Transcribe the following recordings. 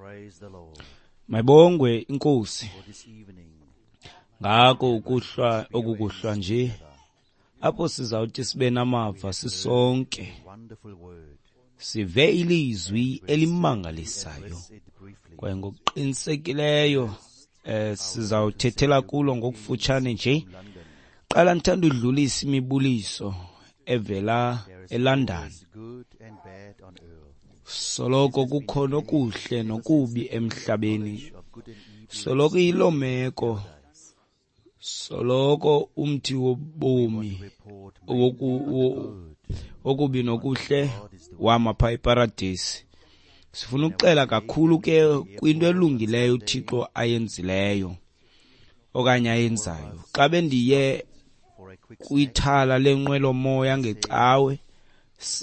Praise the Lord Mayibongwe inkosi for this evening. ngako ukuhlwa okukuhlwa nje apho sizawuthi sibe namava sisonke Wonderful word. sive ilizwi elimangalisayo Address it briefly. kwaye ngokuqinisekileyo sizawuthethela kulo ngokufutshane nje. Qala ndithanda udlulisa imibuliso evela eLondon. There's good and bad on earth. Soloko kukhona okuhle nokubi emhlabeni. Of good and evil. Soloko iyiloo meko. Soloko umthi wobomi Report okubi nokuhle wama phaa eparadesi. Sifuna ukuxela kakhulu ke kwinto elungileyo uThixo ayenzileyo okanye ayenzayo. Xa bendiye for a quick kwithala lenqwelomoya ngecawe,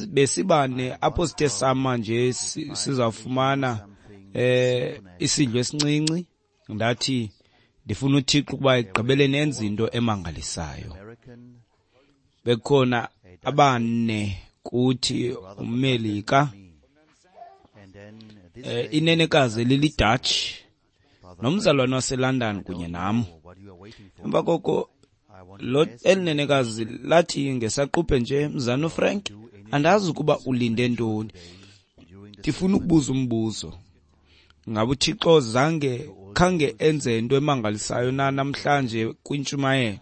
besibane apho sithe sama nje sizawufumana isidlo esincinci. Ndathi ndifuna uThixo ukuba ekugqibeleni enze into emangalisayo. American Bekhona abane kuthi, umMelika, and then this inenekazi eliliDutch nomzalwane waseLondon kunye nam. what you are waiting for. Emva koko I want lo elinenekazi lathi ngesaquphe nje, mzana uFrank, andazi ukuba ulinde ntoni, during the ndifuna ukubuza umbuzo. Ngabe uThixo zange khange enze into emangalisayo na namhlanje kwintshumayelo?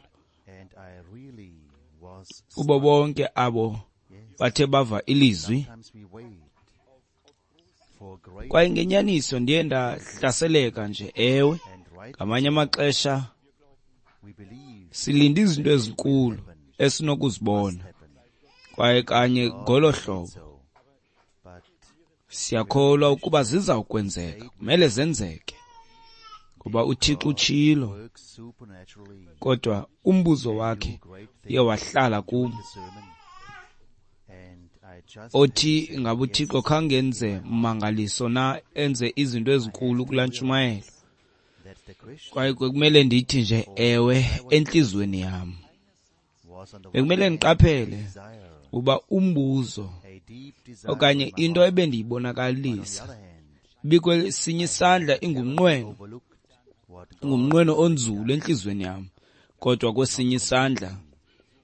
and I really was Kubo bonke abo bathe bava ilizwi. sometimes we wait for great Kwaye ngenyaniso ndiye ndahlaseleka nje, ewe. and right Ngamanye amaxesha we believe silinde izinto ezinkulu esinokuzibona, happen. kwaye kanye ngolo hlobo So but siyakholwa ukuba zizawukwenzeka, kumele zenzeke, ngoba uThixo utshilo. works supernaturally Kodwa umbuzo wakhe great uye wahlala kum, the sermon and I just othi ngabe uThixo khange enze mmangaliso na, enze izinto ezinkulu kulaa ntshumayelo. that the question Kwaye kwekumele ndithi nje ewe entliziyweni yam. was on the Bekumele one hand ndiqaphele desire uba umbuzo a deep desire okanye in my into heart. ebendiyibonakalisa On the other hand ibikwesinye isandla ingumnqweno, overlooked what God ingumnqweno onzulu entliziyweni yam, kodwa kwesinye isandla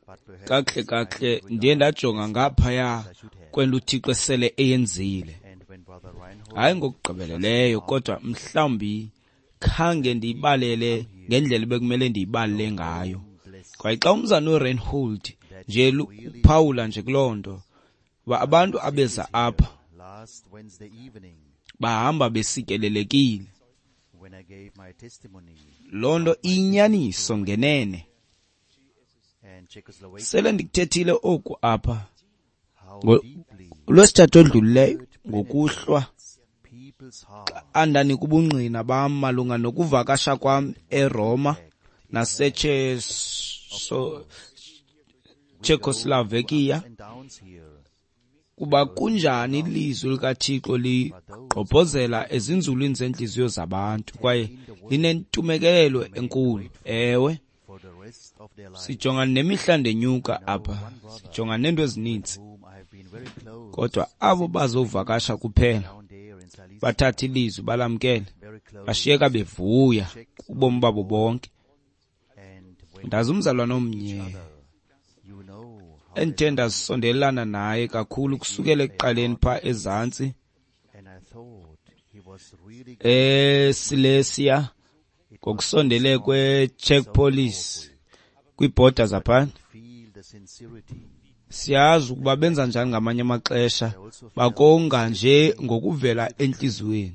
but perhaps kakuhle kakuhle ndiye ndajonga ngaphaya kwento uThixo esele eyenzile. and when Brother Reinhold Hayi ngokugqibeleleyo, kodwa mhlawumbi khange ndiyibalele ngendlela ebekumele ndiyibalele ngayo. Kwaye xa umzana uReinhold nje uphawula nje kuloo nto, uba abantu abeza apha last Wednesday evening bahamba besikelelekile. when I gave my testimony Loo nto iyinyaniso ngenene. and Czechoslovakia Sele ndikuthethile oku apha how deeply lwesithathu odlulileyo ngokuhlwa, people's heart andanika ubungqina bam malunga nokuvakasha kwam eRoma Czechoslovakia, and downs here kuba kunjani ilizwi likaThixo ligqobhozela ezinzulwini zentliziyo zabantu kwaye linentumekelelo enkulu. Ewe, for the rest of their life sijonga nemihla ndenyuka apha, sijonga neento ezininzi, whom I have been very close kodwa abo bazovakasha kuphela down there in Silesia bathathe ilizwi balamkele, very close bashiyeka bevuya kubomi babo bonke. and when Ndazi umzalwane omnye you know how endithe ndasondelelana naye kakhulu kusukela ekuqaleni phaa ezantsi and I thought he was really eSilesia ngokusondele kwe-Czech Police kwiibhoda zaphana. feel the sincerity Siyazi ukuba benza njani ngamanye amaxesha, bakonga nje ngokuvela entliziyweni.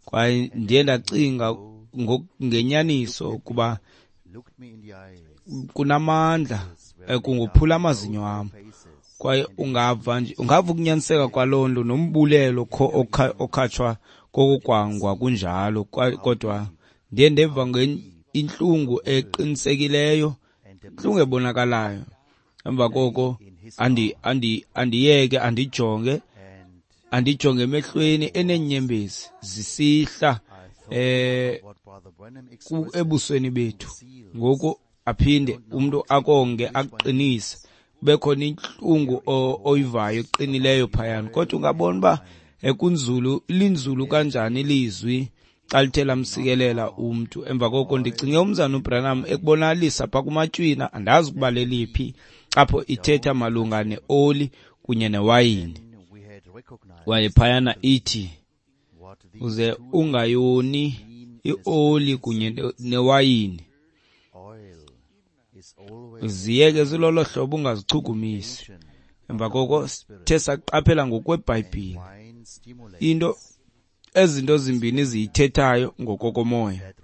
Kwaye ndiye ndacinga ngenyaniso ukuba looked me in the eyes kunamandla, kungophula amazinyo am. faces Kwaye ungava nje, ungava ukunyaniseka kwaloo nto nombulelo okhatshwa kokukwangwa kunjalo. Kodwa ndiye ndeva intlungu eqinisekileyo, intlungu ebonakalayo. Emva koko andiyeke, andijonge, and andijonge emehlweni eneenyembezi zisihla what Brother Branham expressed ebusweni bethu. Ngoku aphinde umntu akonge aqinise, kube khona intlungu oyivayo eqinileyo phayana, kodwa ungabona uba Ekunzulu linzulu kanjani ilizwi xa lithe lamsikelela umntu. Emva koko ndicinge umzana uBranham ekubonalisa phaa kuMatywina, andazi ukuba leliphi, apho ithetha malunga neoli kunye newayini. Kwaye phayana ithi uze ungayoni ioli kunye newayini, ziyeke zilolo hlobo, ungazichukumisi. Emva koko sithe saqaphela ngokweBhayibhile into ezinto zimbini ziyithethayo ngokokomoya.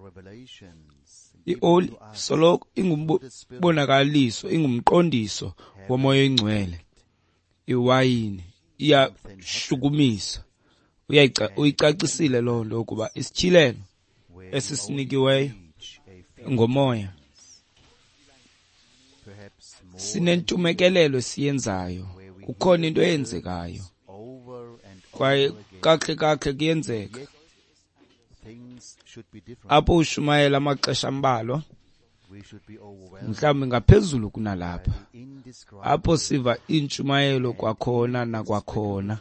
Ioli soloko ingumbonakaliso, ingumqondiso womoya oyingcwele. Iwayini iyashukumisa. Uyicacisile loo nto ukuba isityhilelo esisinikiweyo ngomoya sinentumekelelo esiyenzayo. Kukhona into eyenzekayo kwaye kakuhle kakuhle kuyenzeka. Apho ushumayela amaxesha ambalwa, mhlawumbi ngaphezulu kunalapha, apho siva iintshumayelo kwakhona nakwakhona,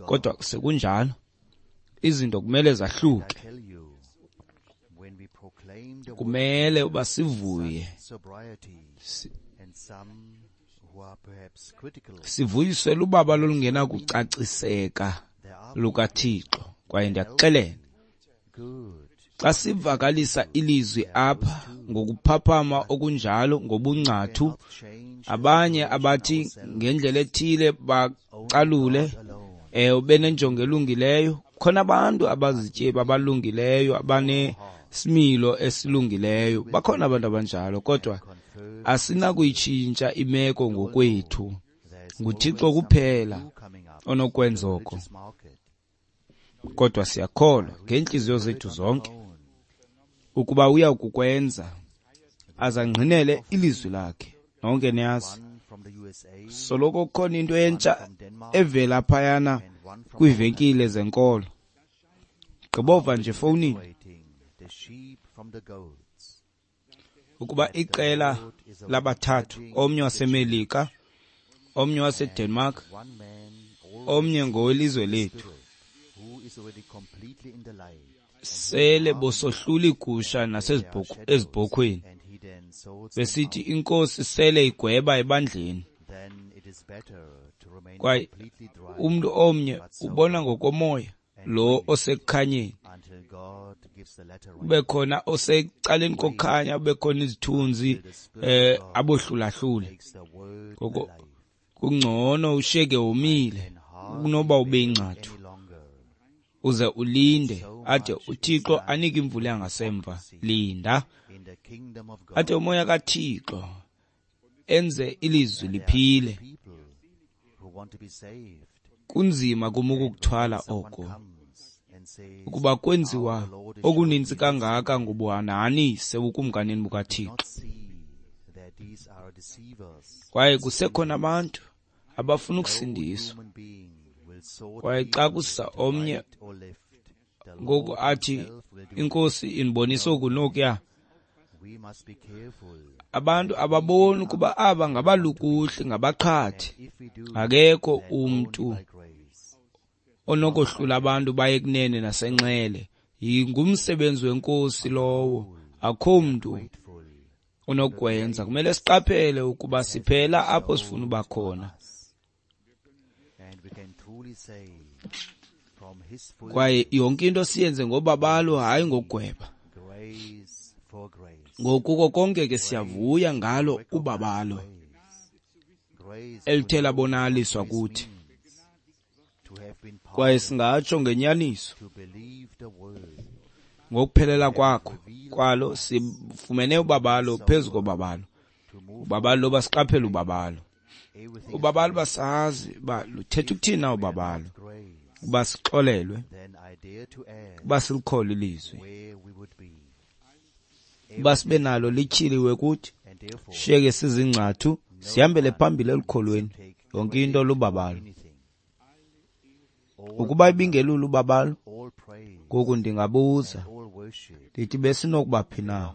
kodwa sekunjalo izinto kumele zahluke. Kumele uba sivuye, sivuyiswe lubaba lolungenakucaciseka lukaThixo. Kwaye ndiyakuxelela, xa sivakalisa ilizwi apha ngokuphaphama okunjalo, ngobungcathu, abanye abathi ngendlela ethile bacalule, benenjongo elungileyo. Khona abantu abazityebi abalungileyo, abanesimilo esilungileyo, bakhona abantu abanjalo, kodwa asinakuyitshintsha imeko ngokwethu. NguThixo kuphela onokwenza oko. Kodwa siyakholwa ngeentliziyo zethu zonke ukuba uya kukwenza, azangqinele ilizwi lakhe. Nonke niyazi, soloko kukhona into entsha evela phayana kwiivenkile zenkolo. Gqibova nje efowunini ukuba iqela labathathu, omnye waseMelika, omnye waseDenmark, omnye ngowelizwe lethu, sele bosohlula iigusha nasezibhokhweni, besithi inkosi sele igweba ebandleni. Kwaye umntu omnye ubona ngokomoya lo osekukhanyeni, ube khona osecaleni kokukhanya, ube khona izithunzi, abohlulahlule. Ngoko kungcono ushiyeke womile kunoba ube ingcathu, uze ulinde ade uThixo anike imvula yangasemva. Linda ade umoya kaThixo enze ilizwi liphile. Kunzima kum ukukuthwala oko, ukuba kwenziwa okuninzi kangaka ngobuhanahanise bukumkanini bukaThixo. Kwaye kusekhona abantu abafuna ukusindiswa. Kwaye xa kusa omnye ngoku athi inkosi indibonise oku nokuya, abantu ababoni ukuba aba ngabalukuhli, ngabaqhathi. Akekho umntu onokohlula abantu baye kunene nasenxele. Ngumsebenzi wenkosi lowo, akho mntu onokwenza. Kumele siqaphele ukuba siphela apho sifuna uba khona. Kwaye yonke into siyenze ngobabalo, hayi ngokugweba. Ngokuko konke ke siyavuya ngalo ubabalo elithe labonakaliswa kuthi. Kwaye singatsho ngenyaniso ngokuphelela kwakho kwalo sifumene ubabalo phezu kobabalo. Ubabalo loba siqaphele ubabalo. Ubabalo basazi uba luthetha ukuthini na ubabalo, uba sixolelwe, uba silikholwe ilizwi, uba sibe nalo lityhiliwe kuthi, shiyeke sizingcathu, sihambele phambili elukholweni. Yonke into lubabalo. Ukuba ibingelula ubabalo, ngoku ndingabuza ndithi besinokuba phi na?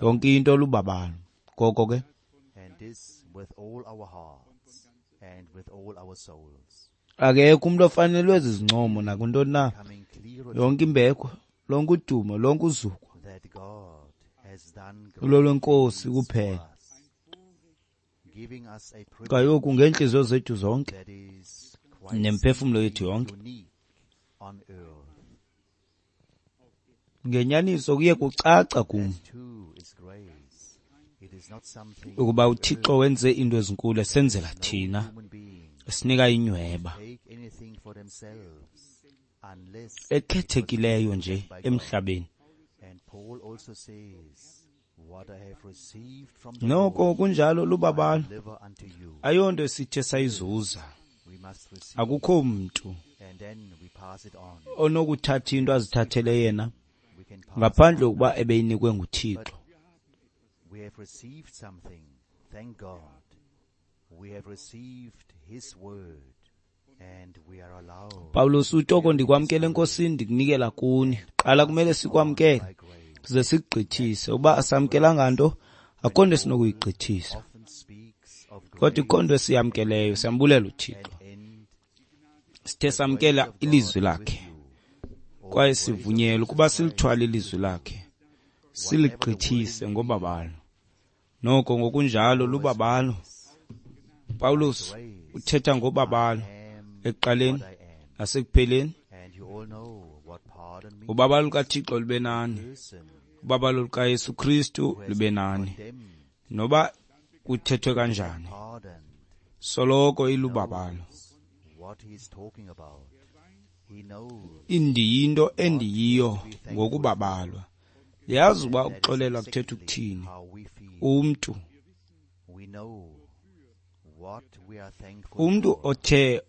Yonke into lubabalo. Ngoko ke, Akekho umntu ofanelwe zizincomo nakwintoni na. Coming clearer to Yonke imbeko, lonke udumo, lonke uzuko that God has done great lolwenkosi things for kuphela. us, giving us a privilege Kaloku ngeentliziyo zethu zonke that is quite nemphefumlo simply yethu yonke, unique on earth. ngenyaniso kuye kucaca kum That too is grace. It is not something ukuba we uThixo earn. wenze into ezinkulu esenzela No thina, human being esinika inyweba take anything for themselves unless it was ekhethekileyo given nje them by God. emhlabeni. And Paul also says, what I have received from the Noko Lord, kunjalo I lubabalo, deliver unto you. ayonto esithe sayizuza. We must receive, Akukho mntu and then we pass it on. onokuthatha into azithathele yena We can pass it ngaphandle on. kokuba ebeyinikwe But nguThixo. we have received something, thank God. We have received His word, and we are allowed Pawulos to uthi oko carry His ndikwamkele word enkosini ndikunikela kuni. and Qala pass kumele it on sikwamkele by grace. size That sikugqithise. Uba is asamkelanga grace. nto, When akho nto Paul esinokuyigqithisa. often speaks of Kodwa ikho nto grace esiyamkeleyo, beginning siyambulela and uThixo. end, Sithe the grace samkela of God ilizwi be with lakhe you, or kwaye the grace of sivunyelwe Jesus ukuba Christ silithwale be ilizwi with you. lakhe, Whatever the siligqithise wording may be, ngobabalo. Noko ngokunjalo always lubabalo. grace. By Pawulos grace uthetha I ngobabalo am ekuqaleni what I am. nasekupheleni. And you all know what pardon Ubabalo means. lukaThixo lube A nani, person ubabalo lukaYesu Kristu who has lube been nani. condemned Noba kuthethwe and kanjani, pardoned soloko ilubabalo. knows what he is talking about. He knows Indiyinto what he has endiyiyo to be thankful for. ngokubabalwa. Ndiyazi And uba that is ukuxolelwa kuthetha exactly ukuthini. how we feel. Umntu We know what we are thankful umntu for. othe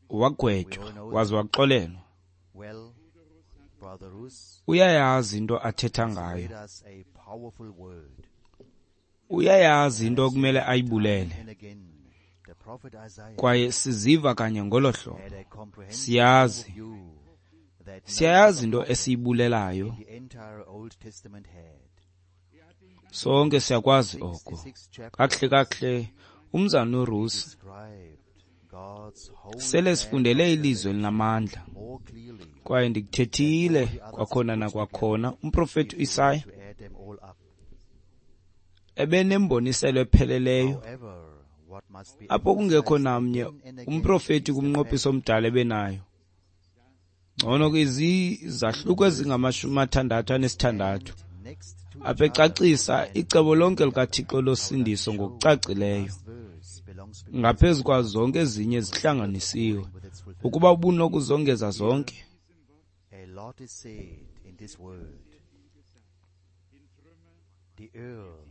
We wagwetywa all know waze that. waxolelwa Well, Brother Roos uyayazi into athetha has ngayo, read us a powerful word. uyayazi And into I've okumele said time ayibulele. and again, the prophet Isaiah Kwaye siziva kanye ngolo hlobo. had a comprehensive Siyazi, overview that no siyayazi other into prophet esiyibulelayo. in the entire Old Testament had. Sonke siyakwazi oko. 66 Kakuhle chapters kakuhle umzana he uRusi described God's whole sele plan of sifundele ilizwi salvation elinamandla more clearly kwaye than all ndikuthethile the others kwakhona put together nakwakhona umprofethi if you were uIsaya to add them all up. ebenemboniselo epheleleyo However, what must be apho kungekho emphasized namnye again and again umprofethi is the kumnqophiso fact omdala ebenayo. Ngcono ke izahluko in verse ezingama-66 and next to apha each other ecacisa and icebo with lonke the other. likaThixo I would like to losindiso show that the ngokucacileyo last verse belongs because ngaphezu it kwazo zonke ezinye was the zihlanganisiwe. offering with its Ukuba fulfillment. ubunokuzongeza Here, zonke, a lot is said in this word. The earth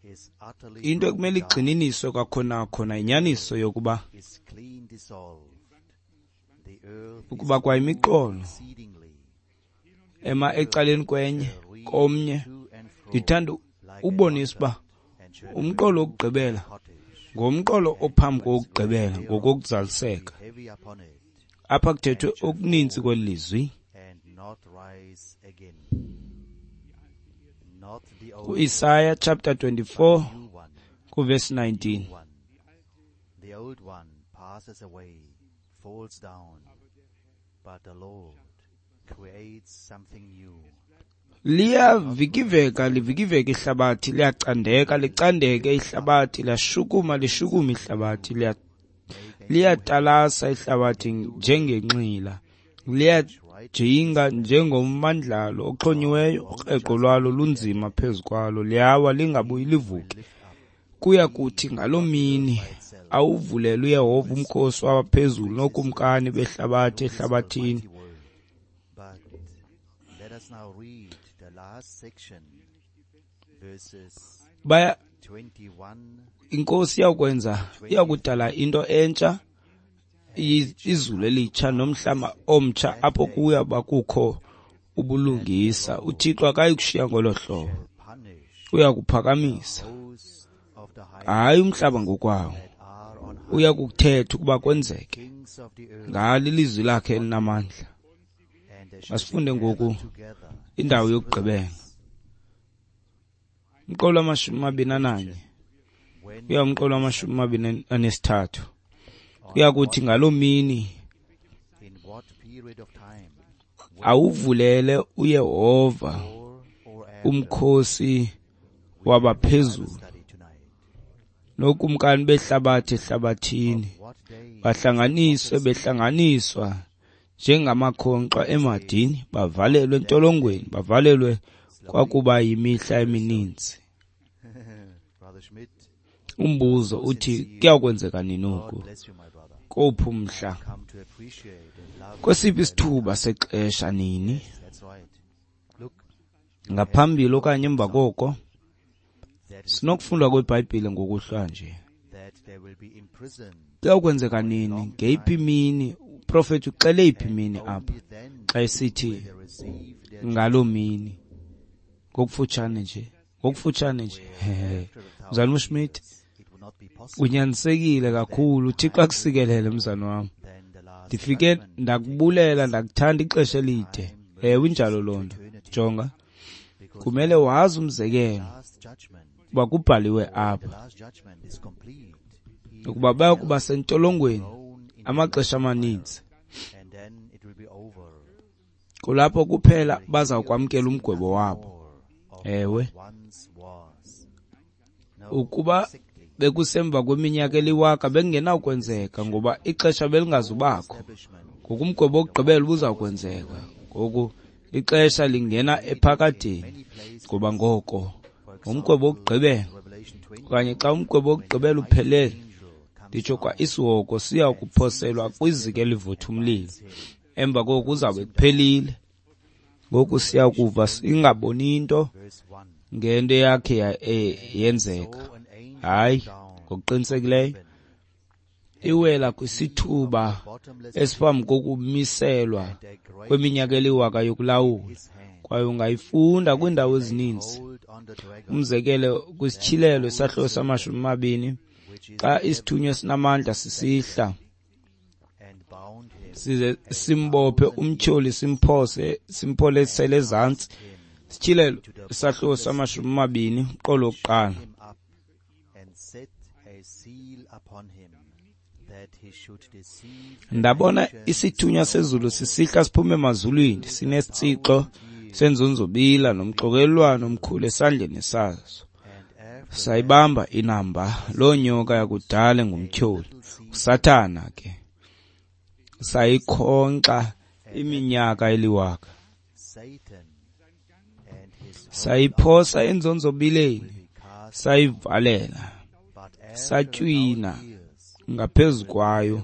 is utterly into broken ekumele down. igxininiswe kwakhona khona The yinyaniso earth yokuba is clean dissolved. The earth is ukuba moved kwayimiqolo exceedingly. ema The earth ecaleni kwenye shall reek komnye. to and fro Ndithanda like a ubonisa uba drunkard, and shall umqolo move wokugqibela like a cottage, ngumqolo and ophambi its weight kokugqibela thereof shall be ngokokuzaliseka. heavy upon it, Apha kuthethwe and shall okuninzi fall kweli lizwi. and not rise again. Not the old one, KuIsaya chapter but the 24 new one, kuvesi the new 19. one. The old one passes away, falls down, but the Lord creates something new. Liyavikiveka livikiveka ihlabathi, liyacandeka licandeke Lift up ihlabathi, liyashukuma and lishukume something ihlabathi, new. Make a new heaven liyatalasa and a ihlabathi new earth, njengenxila, which liyajinga righteousness dwells. njengommandlalo God oxhonyiweyo, won't ukreqo just lwalo be lunzima there. phezu kwalo, liyawa lingabuyi He will livuke. lift up Kuya kuthi thee, ngaloo not the earth mini by itself. awuvulele He uYehova will umkhosi speak wabaphezulu with his nookumkani words behlabathi through his ehlabathini. almighty word. But let us now read the last section, verses Baya 21 inkosi iyawukwenza to iyakudala 23. into entsha, And it shall izulu come to elitsha pass nomhlaba omtsha that apho day kuya bakukho that the ubulungisa. Lord uThixo akayikushiya ngolo hlobo, shall punish uya the kuphakamisa host of the high hayi umhlaba places ngokwawo, that are on uya high, kukuthetha ukuba and the kwenzeke kings of the earth ngalo ilizwi lakhe on earth, elinamandla. and they shall be Masifunde gathered ngoku together indawo as yokugqibela, prisoners. umqolo wamashumi amabini ananye Question: When uya umqolo will this wamashumi happen? amabini anesithathu. Kuyakuthi ngaloo mini awuvulele uYehova umkhosi wabaphezulu nokumkani behlabathi ehlabathini, bahlanganiswe behlanganiswa njengamakhonkxwa emadini, bavalelwe entolongweni, bavalelwe kwakuba yimihla emininzi. Umbuzo uthi kuyakwenzeka nini oku? Kowuphi umhla? Kwesiphi isithuba sexesha nini? Ngaphambili okanye emva koko? Sinokufunda kweBhayibhile ngokuhlwa nje. Kuyakwenzeka nini? Ngeyiphi imini? Uprofethi uxele iphi imini apha xa esithi ngaloo mini? Ngokufutshane nje, ngokufutshane nje. Mzalwana uSchmidt, unyanisekile kakhulu. UThixo akusikelele mzalwana wam. Ndifike ndakubulela, ndakuthanda ixesha elide. Ewe, injalo loo nto. Jonga, kumele wazi umzekelo uba kubhaliwe apha ukuba bayakuba sentolongweni amaxesha amaninzi. Kulapho kuphela bazawukwamkela umgwebo wabo. Ewe, ukuba bekusemva kweminyaka eliwaka bekungenawukwenzeka ngoba ixesha belingazubakho. Ngoku umgwebo wokugqibela ubuzawukwenzeka. Ngoku ixesha lingena ephakadeni, ngoba ngoko ngumgwebo wokugqibela okanye xa umgwebo wokugqibela uphelele, nditsho kwa isihogo siya kuphoselwa kwiziko elivutha umlilo. Emva koko kuzawube kuphelile. Ngoku siya kuva singaboni nto ngento eyakhe yenzeka. Hayi, ngokuqinisekileyo iwela kwisithuba esiphambi kokumiselwa kweminyaka eliwaka yokulawula, kwaye ungayifunda kwiindawo ezininzi. Umzekelo kwisityhilelo isahluko sama-20, xa isithunywa esinamandla sisihla size simbophe umtyholi, simphose, simpholesele ezantsi. Sityhilelo isahluko sama-20, umqolo wokuqala. Ndabona isithunywa sezulu sisihla siphume emazulwini, sinesitsixo senzonzobila nomxokelelwano omkhulu esandleni saso. Sayibamba inamba loo nyoka yakudala engumtyholi, uSathana ke, sayikhonkxa iminyaka eliwaka. Sayiphosa enzonzobileni, sayivalela, satywina ngaphezu kwayo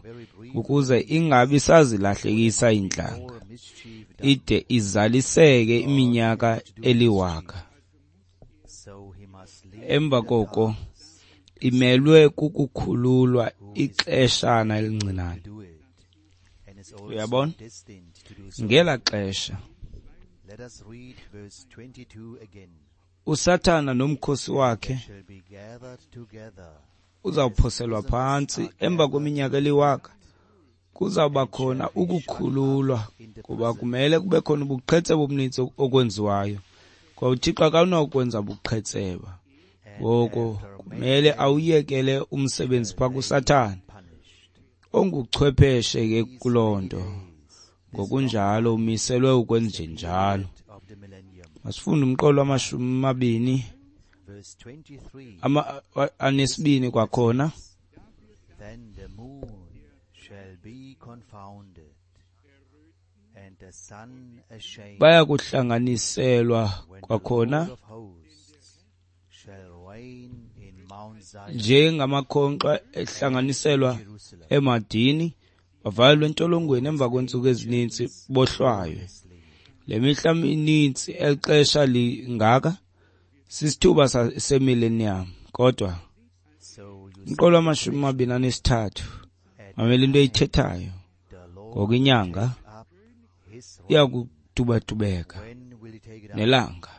ukuze ingabi sazilahlekisa iintlanga, ide izaliseke iminyaka eliwaka. Emva koko imelwe kukukhululwa ixeshana elincinane. Uyabona? Ngela xesha uSathana nomkhosi wakhe uzawuphoselwa phantsi. Emva kweminyaka eliwaka kuzawuba khona ukukhululwa, kuba kumele kube khona ubuqhetseba obuninzi okwenziwayo. Kwa uThixo akanakwenza buqhetseba, ngoko kumele awuyekele umsebenzi phaa kuSathana onguchwepheshe ke kuloo nto. Ngokunjalo umiselwe ukwenjenjalo. Masifunde umqolo wama-22 kwakhona. Then the moon shall be confounded, and the sun ashamed. Baya kuhlanganiselwa kwakhona njengamakhonkxwa ehlanganiselwa emadini, bavalelwe entolongweni emva kweentsuku ezininzi bohlwaywe. Le mihla mininzi, eli xesha lingaka, sisithuba semillennium. Kodwa umqolo wama-23, mamela into eyithethayo. Ngoku inyanga iya kudubadubeka nelanga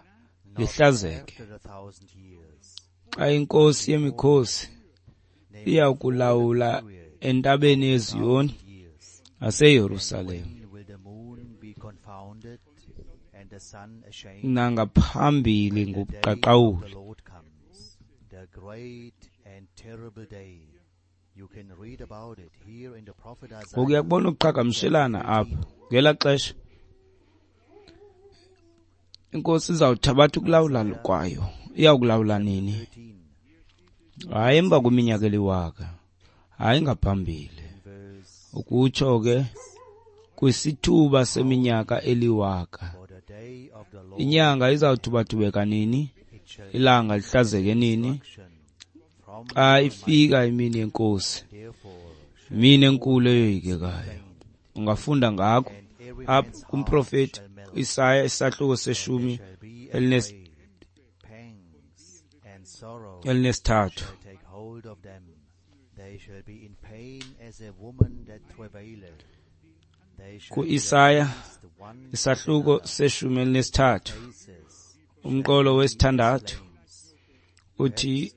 lihlazeke, xa inkosi yemikhosi iya kulawula entabeni yeZiyoni naseYerusalem, nangaphambili ngobuqaqawuli. Ngoku uyakubona ukuqhagamshelana apha. Ngelaa xesha iNkosi izawuthabatha ukulawula kwayo. Iyawukulawula nini? Hayi emva kweminyaka eliwaka, hayi ngaphambili. Ukutsho ke kwisithuba seminyaka eliwaka. Inyanga izawuthubathubeka nini? Ilanga lihlazeke nini? Xa ifika imini yeNkosi, imini enkulu eyoyikekayo. Ungafunda ngakho apha kumprofeti Isaya isahluko seshumi elinesithathu. Ku-Isaya isahluko seshumi elinesithathu umqolo wesithandathu uthi,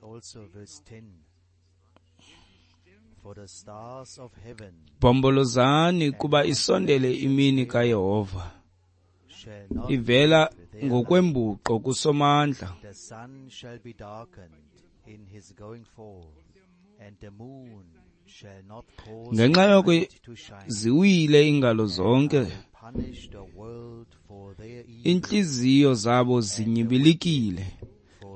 bhombolozani kuba isondele imini kaYehova, ivela ngokwembuqo kuSomandla. Ngenxa yoko ziwile iingalo zonke, iintliziyo zabo zinyibilikile,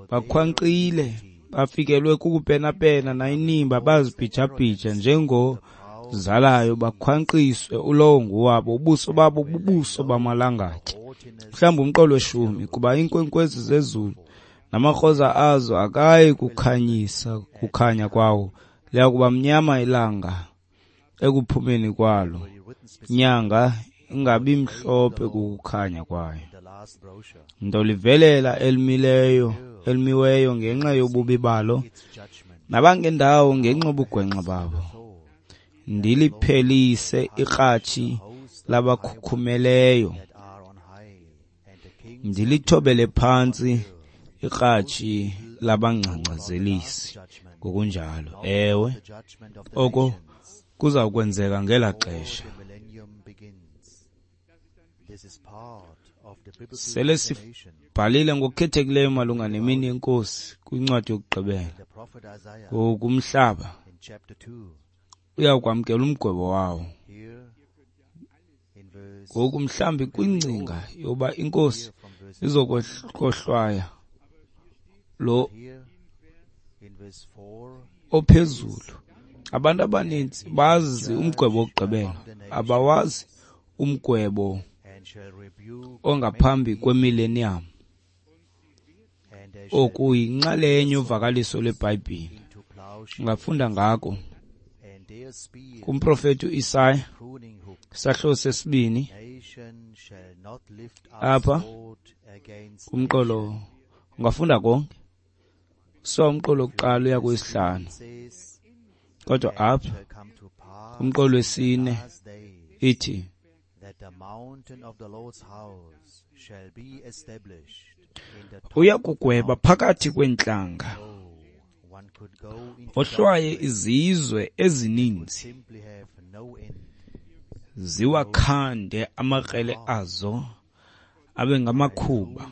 bakhwankqile, bafikelwe kukupenapena nayinimba, bazibhijabhija njengozalayo, bakhwankqiswe ulowo nguwabo, ubuso babo bubuso bamalangatye. Mhlawumbi umqolo weshumi, kuba iinkwenkwezi zezulu namakroza azo akayi kukhanyisa kukhanya kwawo, liya kuba mnyama ilanga ekuphumeni kwalo, inyanga ingabi mhlophe kukukhanya kwayo. Ndolivelela elimiweyo ngenxa yobubi balo, nabangendawo ngenxa yobugwenxa babo. Ndiliphelise ikratshi labakhukhumeleyo, ndilithobele phantsi ikratshi labangcangcazelisi. Ngokunjalo, ewe, oko kuza kwenzeka ngelaa xesha. Sele sibhalile ngokukhethekileyo malunga nemini yeNkosi kwincwadi yokugqibela. Ngoku umhlaba uyakwamkela umgwebo wawo. Ngoku mhlawumbi kwingcinga yoba iNkosi izokohlwaya lo ophezulu. Abantu abaninzi bazi umgwebo wokugqibela, abawazi umgwebo ongaphambi kwemillennium, okuyinxalenye yovakaliso lweBhayibhile. Ungafunda ngako kumprofeti uIsaya isahluko sesibini apha kumqolo. Ungafunda konke so umqolo wokuqala uya kwesihlanu, kodwa apha kumqolo wesine ithi, uya kugweba phakathi kweentlanga, ohlwaye izizwe ezininzi, ziwakhande amakrele azo abe ngamakhuba,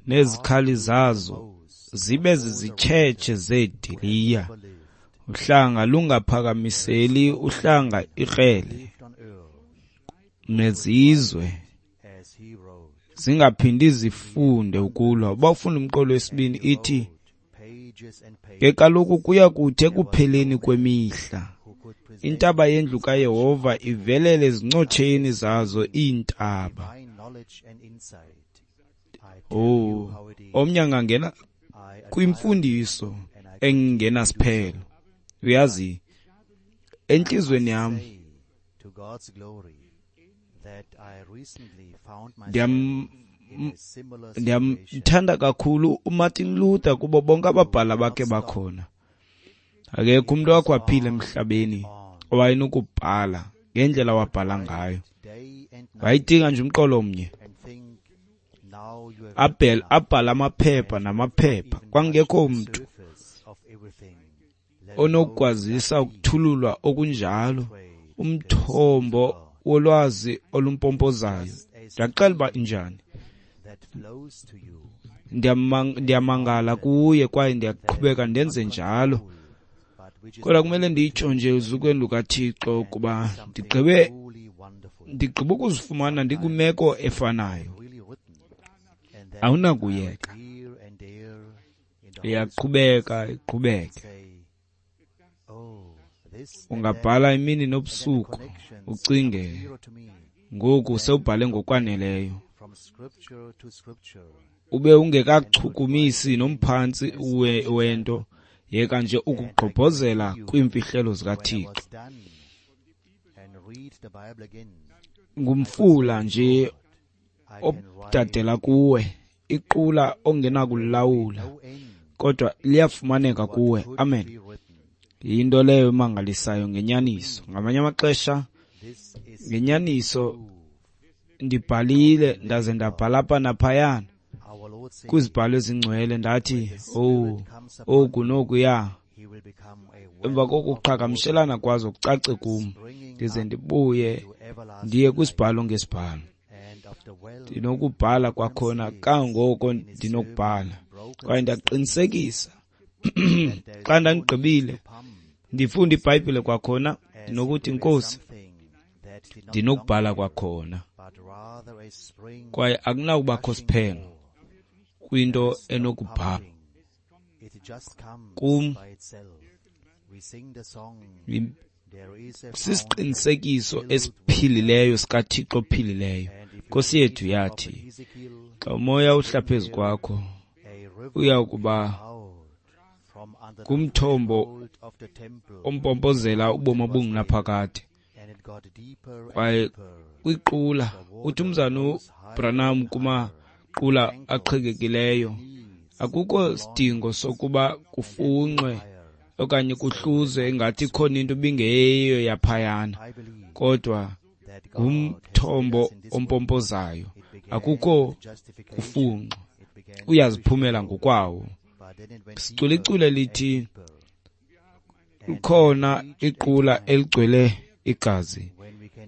nezikhali zazo zibe zizitshetshe zeediliya. Uhlanga lungaphakamiseli uhlanga ikrele, nezizwe zingaphindi zifunde ukulwa. Uba ufunda umqolo wesibini ithi, ke kaloku kuya kuthi ekupheleni kwemihla intaba yendlu kaYehova ivelele ezincotsheni zazo iintaba. Omnye angangena kwimfundiso engenasiphelo. Uyazi, entliziyweni yam ndiyamthanda kakhulu uMartin Luther kubo bonke ababhala bakhe bakhona. Akekho umntu wakho waphila emhlabeni owayenokubhala ngendlela wabhala ngayo. Wayecinga nje umqolo omnye, abhala amaphepha namaphepha. Kwangekho mntu onokukwazisa ukuthululwa okunjalo, umthombo wolwazi olumpompozayo. Ndiyaxela uba injani. Ndiyamangala kuye kwaye ndiyaqhubeka ndenze njalo. Kodwa kumele nditsho nje uzukweni lukaThixo ukuba ndigqibe ukuzifumana ndikwimeko efanayo. Awunakuyeka. Iyaqhubeka iqhubeke. Ungabhala imini nobusuku ucinge ngoku sewubhale ngokwaneleyo, ube ungekachukumisi nomphantsi wento, yeka nje ukugqobhozela kwiimfihlelo zikaThixo. Ngumfula nje odadela kuwe, iqula ongenakulawula, kodwa liyafumaneka kuwe. Amen. Yinto leyo emangalisayo ngenyaniso. Ngamanye amaxesha ngenyaniso ndibhalile ndaze ndabhala apha naphayana kwizibhalo ezingcwele, ndathi oku nokuya. Emva kokuqhagamshelana kwazo kucace kum, ndize ndibuye ndiye kwisibhalo ngesibhalo. Ndinokubhala kwakhona kangoko ndinokubhala, kwaye ndaqinisekisa xa ndandigqibile ndifunda iBhayibhile kwakhona, ndinokuthi Nkosi, ndinokubhala kwakhona. Kwaye akunakubakho siphelo kwinto enokubhala kum. Sisiqinisekiso esiphilileyo sikaThixo ophilileyo. Nkosi yethu yathi, xa umoya uhla phezu kwakho, uya kuba ngumthombo ompompozela ubomi obungunaphakade. Kwaye kwiqula, uthi umzana uBranham kumaqula aqhekekileyo, akukho sidingo sokuba kufunxwe okanye kuhluzwe ingathi ikhona into ibingeyiyo yaphayana, kodwa ngumthombo ompompozayo. Akukho kufunxwa, uyaziphumela ngokwawo. Sicula iculo elithi kukhona iqula eligcwele igazi.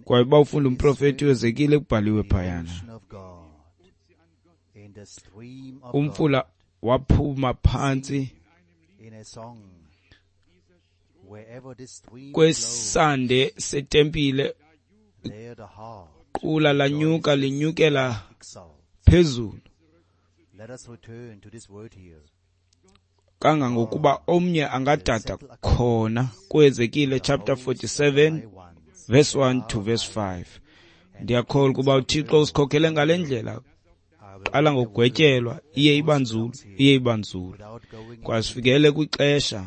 Kwaye uba ufunda umprofeti uEzekile kubhaliwe phayana, umfula waphuma phantsi kwesande setempile, iqula lanyuka linyukela phezulu kangangokuba omnye angadada khona. KuEzekile chapter 47 verse 1 to verse 5. Ndiyakholwa ukuba uThixo usikhokhele ngale ndlela. Qala ngokugwetyelwa, iye iba nzulu, iye iba nzulu. Kwasifikele kwixesha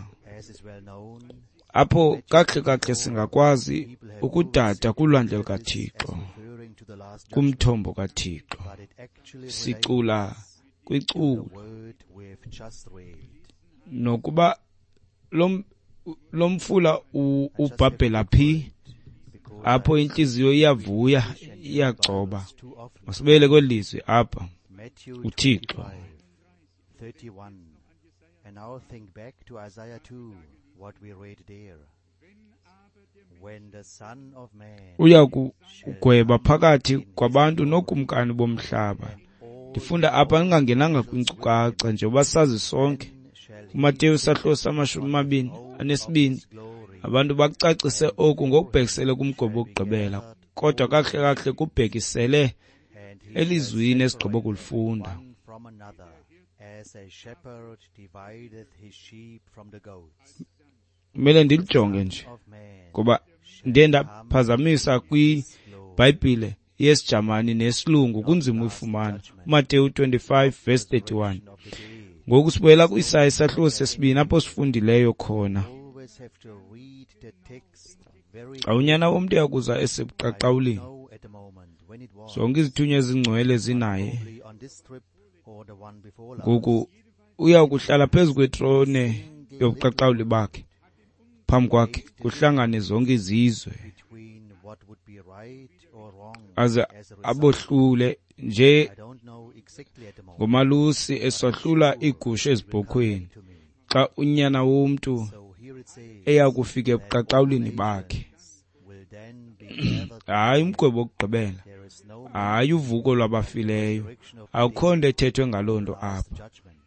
apho kakuhle kakuhle singakwazi ukudada kulwandle lukaThixo, kumthombo kaThixo. Sicula kwiculo nokuba lo mfula ubhabhela phi, apho intliziyo iyavuya, iyagcoba. Masibuyele kweli lizwi apha, uThixo. And now think back to Isaiah 2, what we read there. When the Son of Man uya kugweba phakathi kwabantu nokumkani bomhlaba. Ndifunda apha ndingangenanga kwinkcukacha njengoba sazi sonke. UMateyu sahluko sama-22, abantu bakucacise oku ngokubhekisele kumgwebo wokugqibela, kodwa kakuhle kakuhle kubhekisele elizwini esigqibo kulifunda. from another, as a shepherd divideth his sheep from the goats. Kumele ndilijonge nje Of man ngoba ndiye ndaphazamisa kwiBhayibhile yesiJamani nesilungu, kunzima uyifumana. UMateyu 25 verse 31. of the day Ngoku sibuyela kwiIsaya isahluko sesibini apho sifundileyo khona. always have to read the text very Xa unyana womntu uyakuza esebuqaqawulini, know at the moment when it was zonke izithunywa ezingcwele zinaye. probably on this trip or the one before last. Ngoku uya kuhlala phezu kwetrone yobuqaqawuli bakhe, phambi kwakhe kuhlangane zonke izizwe, Between what would be right or wrong aze as a result. abohlule nje I don't know exactly at the moment. ngomalusi esahlula iigusha ezibhokhweni, To me. xa unyana womntu So here it says eya kufika ebuqaqawulini bakhe. will then be gathered. Hayi umgwebo wokugqibela, There is no hayi uvuko lwabafileyo, akukho nto ethethwe ngaloo nto apha. judgment.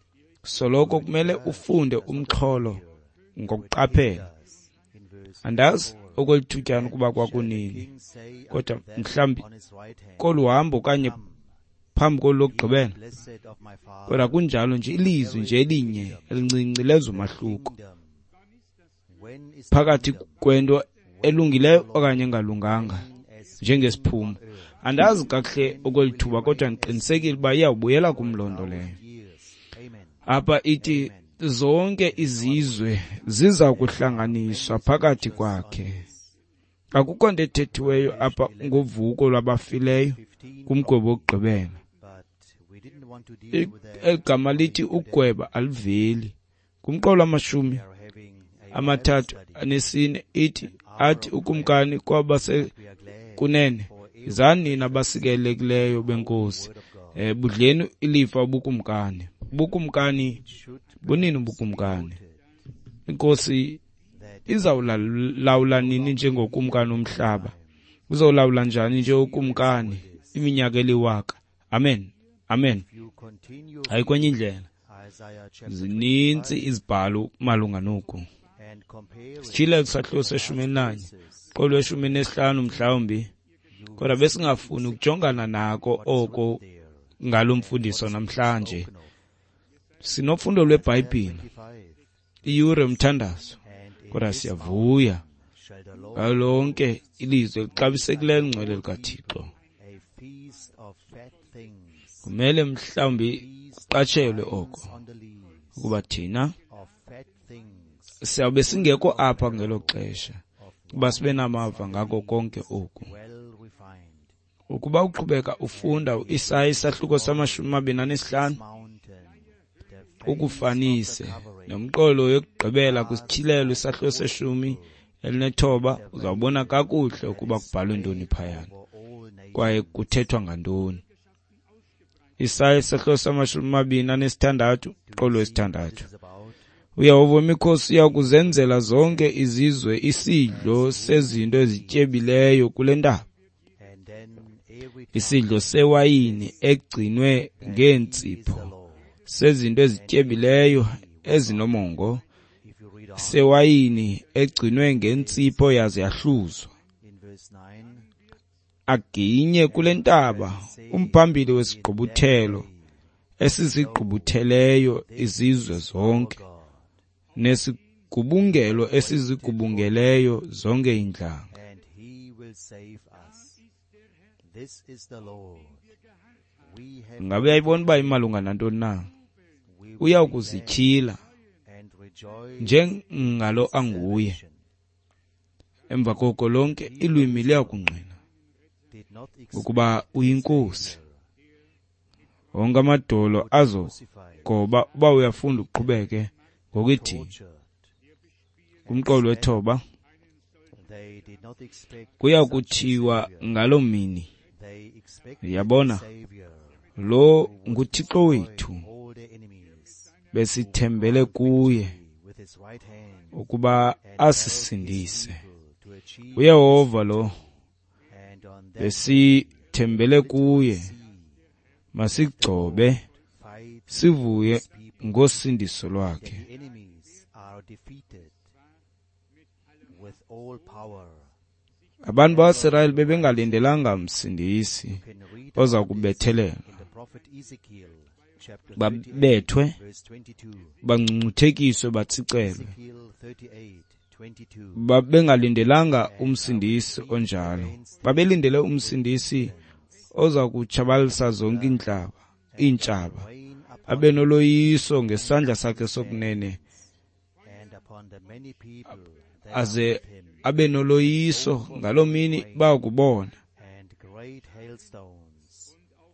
Soloko kumele ufunde umxholo ngokuqaphela. Andazi okwelithutyana ukuba kwakunini, kodwa mhlawumbi kolu hambo okanye phambi kolu lokugqibela. Kodwa kunjalo nje, ilizwi nje elinye elincinci lenza umahluko phakathi kwento elungileyo okanye engalunganga njengesiphumo. Andazi kakuhle okwelithuba, kodwa ndiqinisekile uba iyawubuyela kum loo nto leyo. Apha ithi zonke izizwe ziza kuhlanganiswa phakathi kwakhe. Akukho nto ethethiweyo apha ngovuko lwabafileyo kumgwebo wokugqibela. Eli gama lithi ukugweba aliveli. Kumqolo 34 ithi, athi ukumkani kwabasekunene, yizani nina abasikelekileyo beNkosi, budleni ilifa ubukumkani. Ubukumkani bunini ubukumkani? Inkosi izawulawula nini njengokumkani womhlaba? Uzawulawula njani njengokumkani iminyaka eliwaka? Amen, amen. Hayi kwenye indlela. Zininzi izibhalo malunga noku. Sitshile kwisahluko se-11, qolo 15 mhlawumbi, kodwa besingafuni ukujongana nako oko ngalo mfundiso namhlanje. Sinofundo lweBhayibhile, iyure yomthandazo, kodwa siyavuya ngalo lonke ilizwi elixabisekileyo elingcwele likaThixo. Kumele mhlawumbi kuqatshelwe oko, ukuba thina siyawube singekho apha ngelo xesha ukuba sibe namava ngako konke oku. Ukuba uqhubeka ufunda uIsaya isahluko sama-25, ukufanise nomqolo yokugqibela kwisityhilelo isahluko se-19, uzawubona kakuhle ukuba kubhalwe ntoni phayana kwaye kuthethwa ngantoni. Isaya isahluko sama-26, umqolo wesithandathu. uYehova wemikhosi uya kuzenzela zonke izizwe isidlo sezinto ezityebileyo kule ntaba, isidlo sewayini egcinwe ngeentsipho, sezinto ezityebileyo ezinomongo, sewayini egcinwe ngentsipho yaze yahluzwa. Aginye kule ntaba umphambili wesigqubuthelo esizigqubutheleyo izizwe zonke, nesigubungelo esizigubungeleyo zonke iintlanga. Ngabe uyayibona uba imalunga nantoni na? Uya kuzityhila njengalo anguye. Emva koko lonke ilwimi liyakungqina ukuba uyinkosi. Wonke amadolo azogoba. Uba uyafunda uqhubeke ngokuthi kumqolo wethoba, kuya kuthiwa ngaloo mini, yabona, lo nguThixo wethu, besithembele kuye ukuba asisindise. uYehova lo besithembele kuye, masigcobe sivuye ngosindiso lwakhe. Abantu bakwaSirayeli bebengalindelanga msindisi oza kubethelela, babethwe, bangcungcuthekiswe, batsicelwe. Babengalindelanga umsindisi onjalo. Babelindele umsindisi oza kutshabalalisa zonke iintshaba, abe noloyiso ngesandla sakhe sokunene, aze abe noloyiso ngaloo mini bayakubona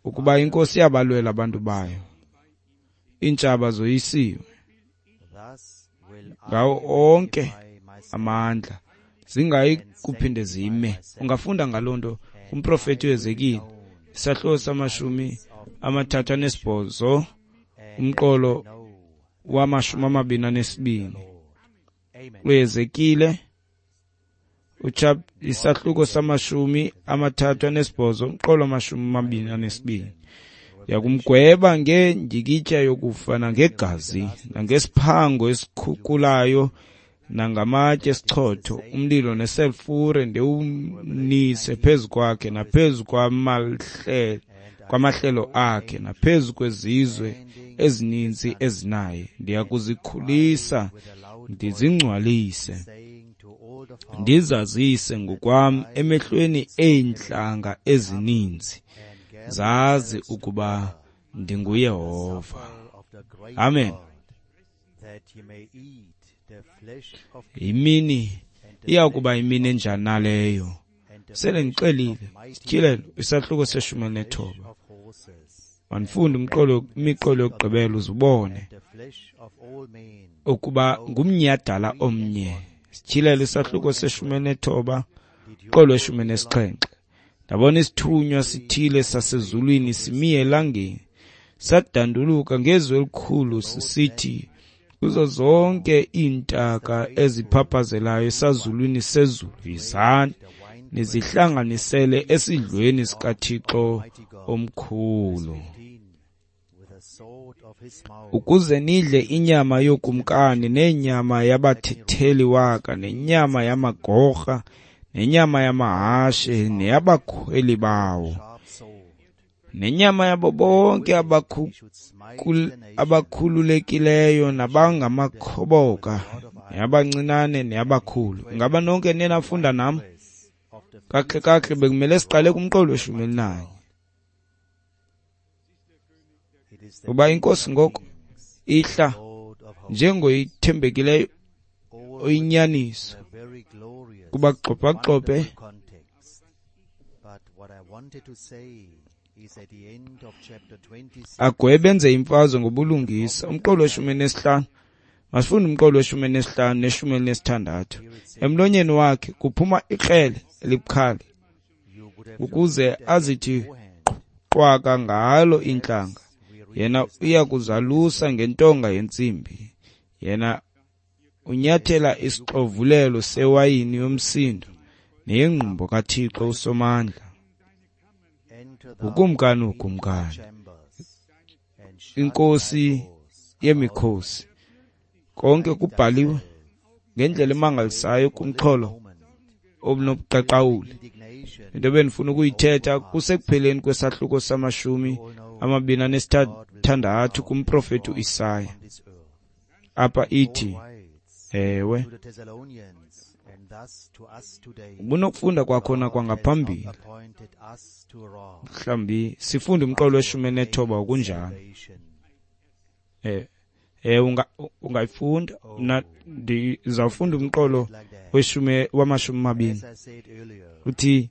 ukuba inkosi iyabalwela abantu bayo. Iintshaba zoyisiwe ngawo onke amandla, zingayi kuphinde zime. Ungafunda ngaloo nto kumprofeti uHezekile, isahluko sama-38, umqolo wama-22. uHezekile isahluko sama-38, umqolo wama-22. Yakumgweba ngendyikityha yokufa nangegazi nangesiphango esikhukulayo nangamatye esichotho, umlilo neselfure, ndiwunise phezu kwakhe naphezu kwamahlelo akhe, naphezu kwezizwe ezininzi ezinaye. Ndiya kuzikhulisa, ndizingcwalise, ndizazise ngokwam emehlweni eentlanga ezininzi, zazi ukuba ndinguYehova. Amen. Imini iya kuba imini enjani naleyo? Sele ndixelile, Sityhilelo isahluko se-19. Mandifunde imiqolo yokugqibela uzubone ukuba ngumnyhadala omnye. Sityhilelo isahluko se-19, umqolo we-17. Ndabona isithunywa sithile sasezulwini simi elangeni, sadanduluka ngezwi elikhulu sisithi kuzo zonke iintaka eziphaphazelayo esazulwini sezulu, yizani nizihlanganisele esidlweni sikaThixo omkhulu, ukuze nidle inyama yokumkani, nenyama yabathetheli waka, nenyama yamagorha, nenyama yamahashe, neyabakhweli bawo, nenyama yabo bonke abakhululekileyo nabangamakhoboka, neyabancinane neyabakhulu. Ingaba nonke niye nafunda nam? Kakuhle kakuhle bekumele siqale kumqolo we-11. Kuba inkosi ngoku ihla njengoyithembekileyo oyinyaniso, kuba gxobhagxobhe agwebe enze imfazwe ngobulungisa. Umqolo we-15, masifunde umqolo we-15 ne-16. Emlonyeni wakhe kuphuma ikrele elibukhali, ukuze azithi qwaka ngalo iintlanga. Yena uya kuzalusa ngentonga yentsimbi. Yena unyathela isixovulelo sewayini yomsindo neyengqumbo kaThixo uSomandla. Ukumkani ukumkani, inkosi yemikhosi. Konke kubhaliwe ngendlela emangalisayo kumxholo obunobuqaqawuli. Into ebendifuna ukuyithetha kusekupheleni kwesahluko sama-26 kumprofeti uIsaya. Apha ithi, ewe, ubunokufunda kwakhona kwangaphambili. Mhlawumbi sifunde umqolo we-19 okunjalo. Ungayifunda. Mna ndizawufunda umqolo wama-20. Uthi,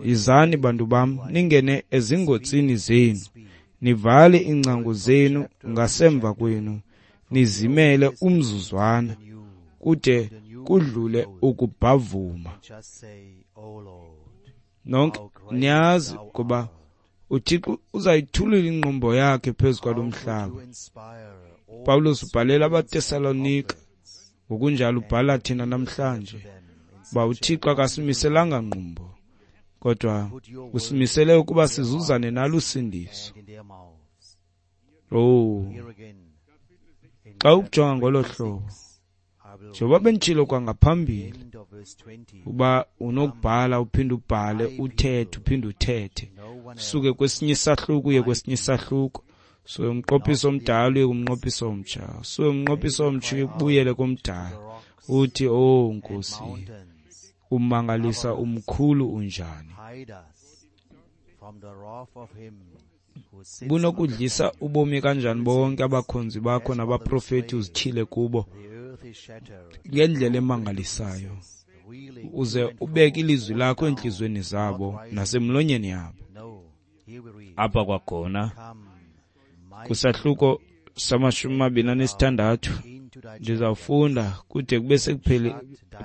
yizani bantu bam, ningene ezingotsini zenu, nivale iingcango zenu ngasemva kwenu, nizimele umzuzwana, kude kudlule ukubhavuma. Nonke niyazi kuba uThixo uzayithulula ingqumbo yakhe phezu kwalo mhlaba. Pawulos ubhalela abaTesalonika, ngokunjalo ubhala thina namhlanje, uba uThixo akasimiselanga ngqumbo, kodwa usimisele ukuba sizuzane nalusindiso. Oh, xa ukujonga ngolo hlobo, njengoba benditshilo kwangaphambili, uba unokubhala uphinde ubhale, uthethe uphinde uthethe, suke kwesinye isahluko uye kwesinye isahluko, suke umnqophiso omdala uye kumnqophiso omtsha, suke umnqophiso omtsha ubuyele komdala, uthi, oh Nkosi, umangalisa umkhulu unjani. Bunokudlisa ubomi kanjani bonke abakhonzi bakho nabaprofeti uzityhile kubo ngendlela emangalisayo, uze ubeke ilizwi lakho entliziyweni zabo nasemlonyeni yabo. Apha kwakhona kusahluko sama-26 ndizawufunda kude kube sekuphele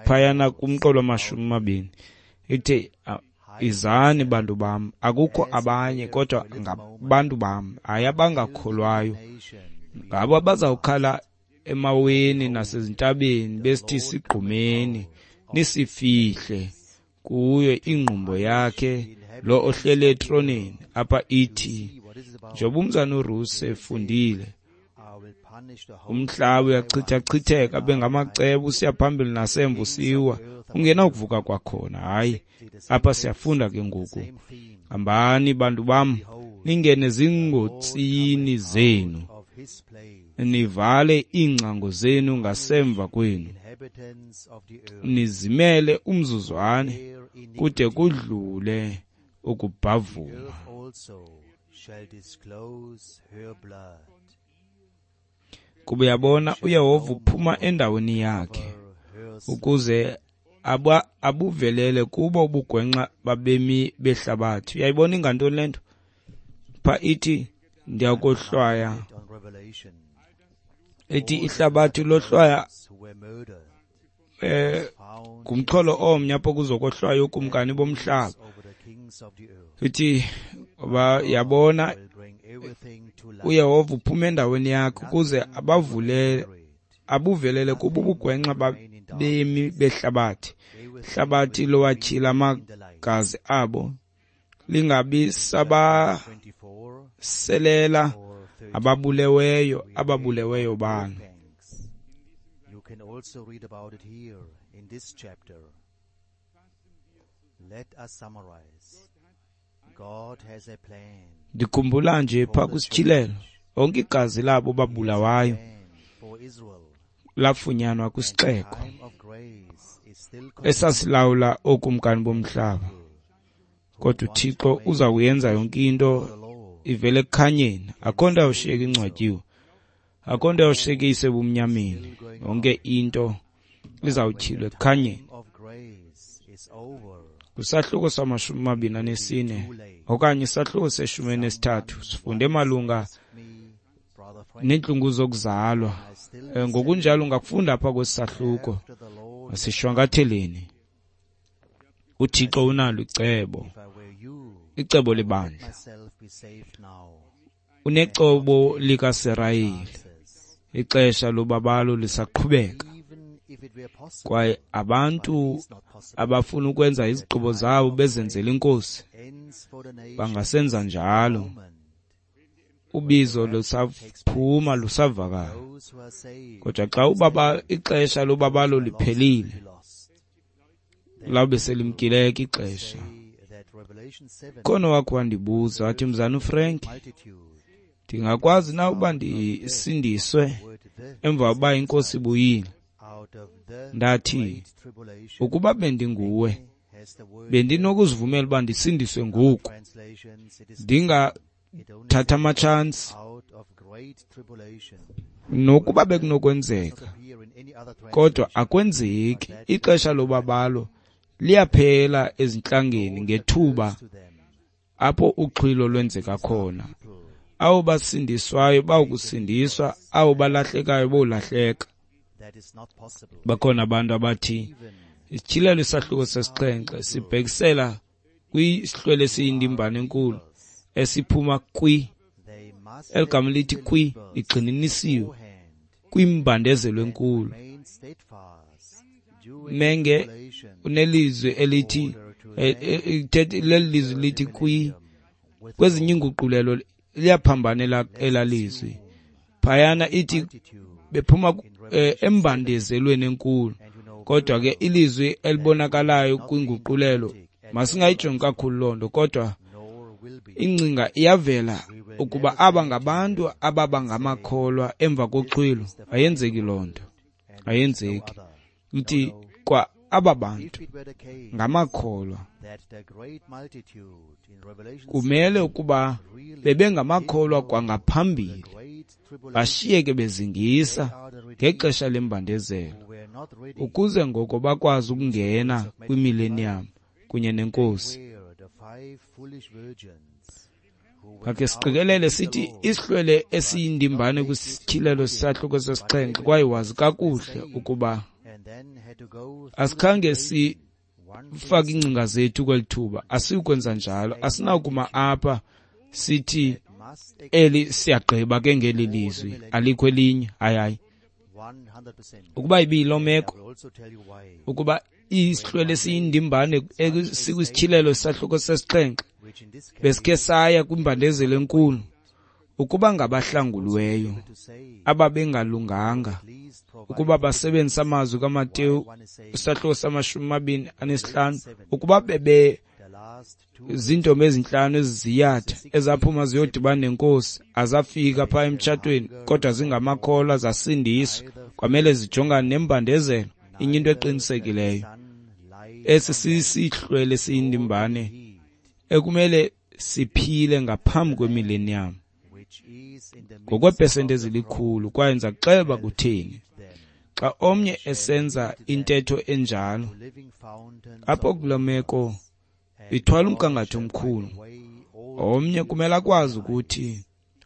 phayana kumqolo wama-20. Ithe, izani bantu bam, akukho abanye kodwa ngabantu bam, hayi abangakholwayo, ngabo abazawukhala emaweni nasezintabeni besithi sigqumeni, nisifihle kuyo ingqumbo yakhe lo ohlele etroneni. Apha ithi, njengoba umzana uRusi efundile, Umhlaba uyachithachitheka bengamacebo usiya phambili nasemva usiwa, ungenakuvuka kwakhona. Hayi, apha siyafunda ke ngoku. Hambani bantu bam, ningene zingotsini zenu, nivale iingcango zenu ngasemva kwenu, nizimele umzuzwane kude kudlule ukubhavuma. Kuba uyabona, uYehova uphuma endaweni yakhe ukuze abuvelele kubo ubugwenxa babemi behlabathi. Uyayibona ingantoni le nto? Pha ithi ndiyakohlwaya, ithi ihlabathi lohlwaya ngumxholo omnye apho kuzokohlwaya ukumkani bomhlaba. Ithi yabona uYehova uphuma endaweni yakhe ukuze abuvelele kubo ubugwenxa babemi behlabathi. Ihlabathi lowatyhila amagazi abo, lingabi sabaselela ababuleweyo balo. You can also read about it here in this chapter. Let us summarize. God has a plan. Ndikhumbula nje pha kwisityhilelo, onke igazi labo babulawayo lafunyanwa kwisixeko esasilawula ookumkani bomhlaba. Kodwa uThixo uza kuyenza yonke into ivele ekukhanyeni. Akho nto yawushiyeka ingcwatyiwe, akho nto yawushiyeka isebumnyameni. Yonke into izawutyhilwa ekukhanyeni. Kwisahluko sama-24 okanye isahluko se-13 sifunde malunga neentlungu zokuzalwa. Ngokunjalo ungakufunda apha kwesi sahluko. Masishwankatheleni. uThixo unalo icebo, icebo lebandla. Unecebo likaSirayeli. Ixesha lobabalo lisaqhubeka, kwaye abantu abafuna ukwenza izigqibo zabo bezenzela inkosi bangasenza njalo. Ubizo lusaphuma, lusavakala. Kodwa xa ixesha lobabalo liphelile, lawube selimkileke ixesha. Khona wakho wandibuza wathi, Mzana uFrank, ndingakwazi na uba ndisindiswe emva kokuba inkosi ibuyile? Ndathi, ukuba bendinguwe, bendinokuzivumela uba ndisindiswe ngoku, ndingathatha amatshansi, nokuba bekunokwenzeka. Kodwa akwenzeki. Ixesha lobabalo liyaphela ezintlangeni ngethuba apho uxhwilo lwenzeka khona. Abo basindiswayo bawukusindiswa, abo balahlekayo bowulahleka. Bakhona abantu abathi isityhilelo isahluko sesixhenxe sibhekisela kwisihlwele esiyindimbane enkulu esiphuma kwi, eligama lithi kwi ligxininisiwe kwimbandezelo enkulu. Menge unelizwi elithi leli lizwi lithi kwi, kwezinye iinguqulelo liyaphambana elalizwi. Phayana ithi bephuma embandezelweni enkulu, kodwa ke ilizwi elibonakalayo kwinguqulelo masingayijongi kakhulu loo nto, kodwa ingcinga iyavela ukuba aba ngabantu ababa ngamakholwa emva koxhwilo. Ayenzeki loo nto, ayenzeki. Ithi kwa aba bantu ngamakholwa, kumele ukuba bebengamakholwa kwangaphambili, bashiyeke bezingisa ngexesha lembandezelo, ukuze ngoko bakwazi ukungena kwimillennium kunye nenkosi. Makhe siqikelele sithi isihlwele esiyindimbane kwisityhilelo sisahluko sesixhenxe, kwaye wazi kakuhle ukuba asikhange sifake iingcinga zethu kweli thuba, asiyukwenza njalo. Asinakuma apha sithi eli siyagqiba ke ngeli lizwi, alikho elinye. Hayi, hayi. Ukuba ibiyiloo meko, ukuba isihlwele esiyindimbane sikwisitshilelo sahluko sesixhenxe besikhe saya kwimbandezelo enkulu, Ukuba ngabahlanguliweyo ababengalunganga ukuba basebenzisa amazwi kaMateyu isahluko sama-25, ukuba bebe zintombi ezintlanu eziziyatha ezaphuma ziyodibana nenkosi, azafika phaa emtshatweni kodwa zingamakholwa, zasindiswa, kwamele zijongane nembandezelo. Inye into eqinisekileyo, esi sisihlwele siyindimbane ekumele siphile ngaphambi kwemillennium ngokweepesenti ezilikhulu. Kwaye ndiza kuxela uba kutheni. Xa omnye esenza intetho enjalo, apho kuloo meko ithwala umgangatho omkhulu. Omnye kumele akwazi ukuthi,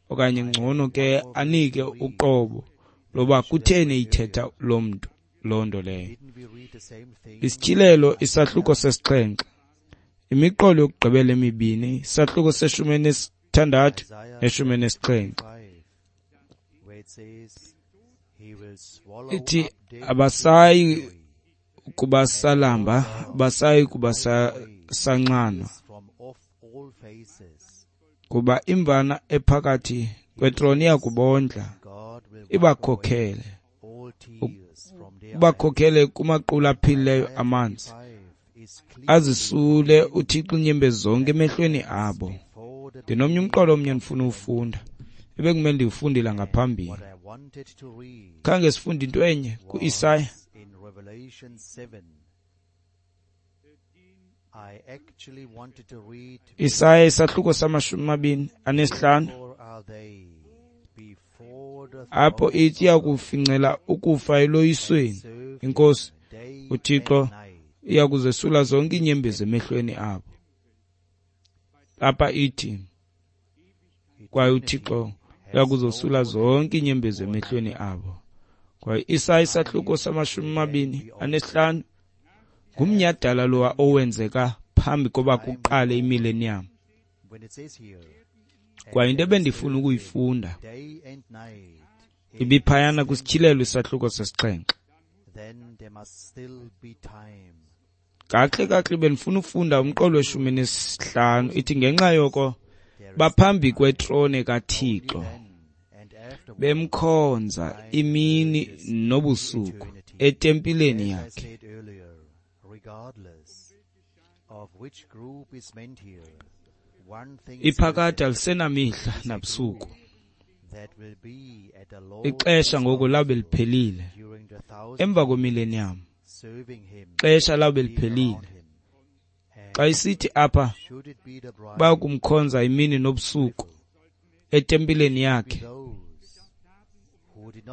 okanye ngcono ke anike uqobo loba kutheni eyithetha loo mntu loo nto leyo. Isityhilelo isahluko 7, imiqolo yokugqibela emibini, isahluko se-16 ne-17. Ithi abasayi kuba salamba, abasayi kuba sanxanwa, kuba imvana ephakathi kwetroni iyakubondla, ibakhokhele kumaqula aphilileyo amanzi, azisule uThixo iinyembezi zonke emehlweni abo. Ndinomnye umqolo omnye ndifuna uwufunda, ebekumele ndiwufundile ngaphambili. Khange sifunde into enye ku-Isaya. Isaya isahluko sama-25, apho ithi iyakufincela ukufa eloyisweni. Inkosi uThixo iyakuzesula zonke iinyembezi emehlweni abo. Apha ithi kwaye uThixo uyakuzosula zonke iinyembezi emehlweni abo. Kwaye Isaya isahluko sama-25 ngumnyhadala lowa owenzeka phambi koba kuqale imillennium. Kwaye into ebendifuna ukuyifunda ibiphayana kwisityhilelo isahluko 7. Kahle bendifuna ufunda umqolo we-15. Ithi ngenxa yoko baphambi kwetrone kaThixo, bemkhonza imini nobusuku etempileni yakhe. Iphakade alisenamihla nabusuku. Ixesha ngoku labe liphelile emva kwemillennium. Ixesha labe liphelile. Xa isithi apha bayakumkhonza imini nobusuku etempileni yakhe,